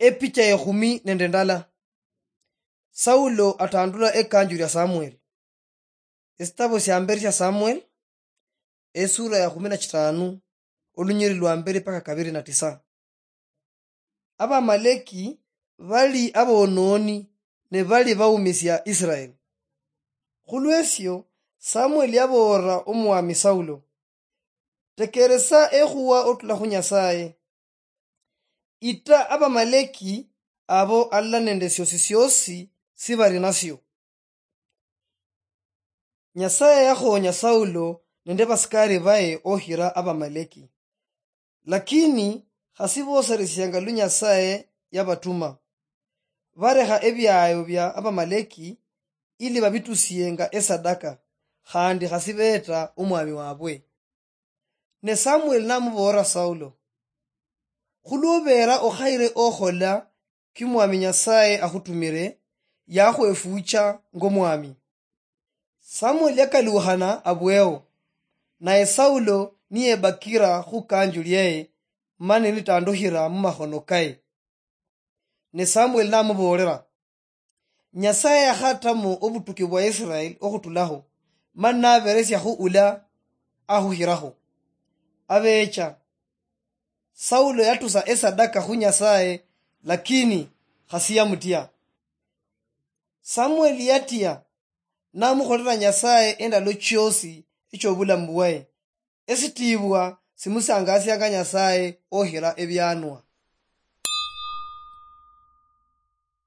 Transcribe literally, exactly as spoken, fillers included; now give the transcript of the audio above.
Epicha ekhumi nende ndala. Saulo atandula ekanju lya Samuel. Esitabo sia mberi sia Samuel, esura ya kumi na chitano, olunyiri lwa mberi paka kabiri na tisa. Abamaleki bali abonooni ne bali baumisia Israel. Khulwesio, Samuel yaboolera omwami Saulo, "Tekeresa ekhuwa otula khu Nyasaye. Ita Abamaleki abo alala nende siosi siosi si bali nasio." Nyasaye yakhonya Saulo nende basikari baye ohira Abamaleki. Lakini khasi boseresianga lu Nyasaye yabatuma. Barekha ebiayo bia Abamaleki ili babitusienga esadaka, khandi khasi beeta omwami wabwe. Ne Samuel namuboolera Saulo, "Khulwobeera okhayire okhola ki Mwami Nyasaye akhutumire, yakhwefuucha ng'omwami." Samuel yakaluukhana abweo, naye Saulo niyebakira khukanju lyaye, mani nitandukhira mumakhono kaye. Ne Samuel namuboolera, "Nyasaye yakhatamo obutuki bwa Israel okhutulakho, mani naberesiakhu ula akhukhirakho." Abecha, Saulo yatusa esadaka khu Nyasaye, lakini khasi yamutia. Samuel yatia, namukholera Nyasaye endalo chiosi echobulamu bwaye. Esitiibwa simusangasianga Nyasaye okhira ebianwa.